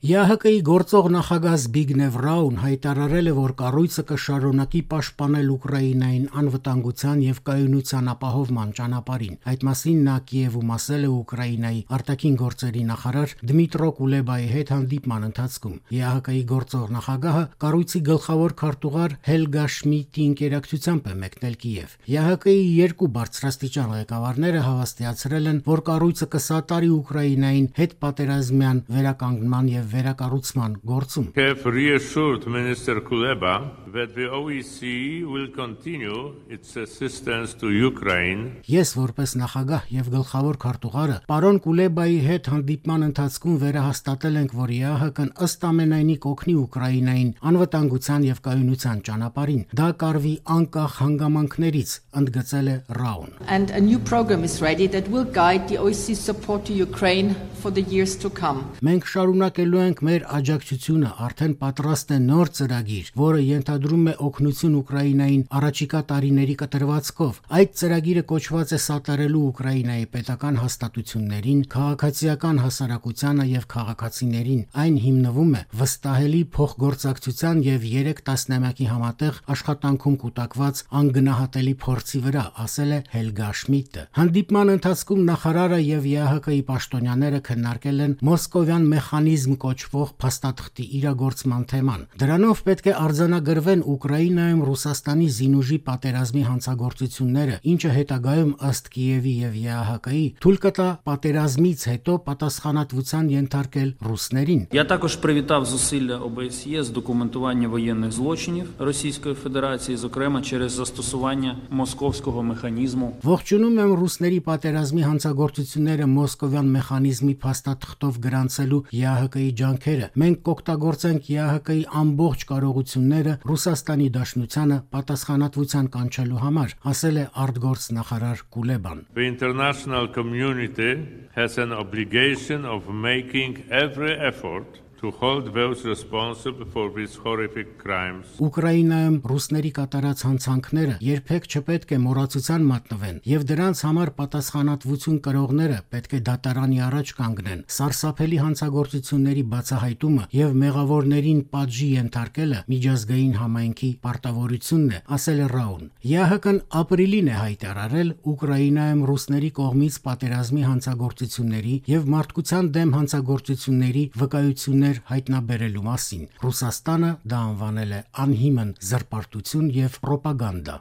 ԵԱՀԿ-ի գործող նախագահ Զբիգնև Ռաուն հայտարարել է, որ կառույցը կշարունակի պաշտպանել Ուկրաինային անվտանգության եւ կայունության ապահովման ճանապարհին։ Այդ մասին նա Կիևում ասել է Ուկրաինայի արտաքին գործերի նախարար Դմիտրո Կուլեբայի հետ հանդիպման ընթացքում։ ԵԱՀԿ-ի գործող նախագահը կառույցի գլխավոր քարտուղար Հելգա Շմիդտի ինկերակցությամբ է մեկնել Կիև։ ԵԱՀԿ-ի երկու բարձրաստիճան ղեկավարները հավաստիացրել են, որ կառույցը կսատարի Ուկրաինային հետպատերազմյան վերականգնման եւ վերակառուցման գործում։ Have reassured Minister Kuleba that the OSCE will continue its assistance to Ukraine. Ես որպես նախագահ եւ գլխավոր քարտուղարը պարոն Կուլեբայի հետ հանդիպման ընթացքում վերահաստատել ենք, որ ԵԱՀԿ-ն ըստ ամենայնի կօգնի Ուկրաինային անվտանգության եւ կայունության ճանապարհին։ Դա կարվի անկախ հանգամանքներից, ընդգծել է Ռաուն։ And a new program is ready that will guide the OSCE support to Ukraine for the years to come. Մենք շարունակելու ենք մեր աջակցությունը, արդեն պատրաստ է նոր ծրագիր, որը ենթադրում է օգնություն Ուկրաինային առաջիկա տարիների կտրվածքով։ Այդ ծրագիրը կոչված է սատարելու Ուկրաինայի պետական հաստատություններին, քաղաքացիական հասարակությանը եւ քաղաքացիներին։ Այն հիմնվում է վստահելի փոխգործակցության եւ 3 տասնամյակի համատեղ աշխատանքում կուտակված անգնահատելի փորձի վրա, ասել է Հելգա Շմիդտը։ Հանդիպման ընթացքում նախարարը եւ ԵԱՀԿ-ի պաշտոնյաները քննարկել են մոսկովյան մեխանիզմ կոչվող փաստաթղթի իրագործման թեման։ Դրանով պետք է արձանագրվեն Ուկրաինայում Ռուսաստանի զինուժի պատերազմի հանցագործությունները, ինչը հետագայում ըստ Կիևի եւ ԵԱՀԿ-ի թույլ կտա պատերազմից հետո պատասխանատվության ենթարկել ռուսներին։ Я також привітав зусилля ОБСЄ з документування воєнних злочинів Російської Федерації, зокрема через застосування московського механізму. Ողջունում եմ ռուսների պատերազմի հանցագործությունները մոսկովյան մեխանիզմի փաստաթղթով գրանցելու ԵԱՀԿ-ի ջանքերը։ Մենք կօգտագործենք ԵԱՀԿ-ի ամբողջ կարողությունները Ռուսաստանի Դաշնությանը պատասխանատվության կանչելու համար, ասել է արտգործ նախարար Կուլեբան։ The international community has an obligation of making every effort to hold those responsible for these horrific crimes. Ուկրաինայում ռուսների կատարած հանցանքները երբեք չպետք է մոռացության մատնվեն, եւ դրանց համար պատասխանատվություն կրողները պետք է դատարանի առաջ կանգնեն։ Սարսափելի հանցագործությունների բացահայտումը եւ մեղավորներին պատժի ենթարկելը միջազգային համայնքի պարտավորությունն է, ասել է Ռաուն։ ԵԱՀԿ-ն ապրիլին է հայտարարել Ուկրաինայում ռուսների կողմից պատերազմի հանցագործությունների եւ մարդկության դեմ հանցագործությունների վկայություններ հայտնաբերելու մասին։ Ռուսաստանը դա անվանել է անհիմն զրպարտություն եւ պրոպագանդա։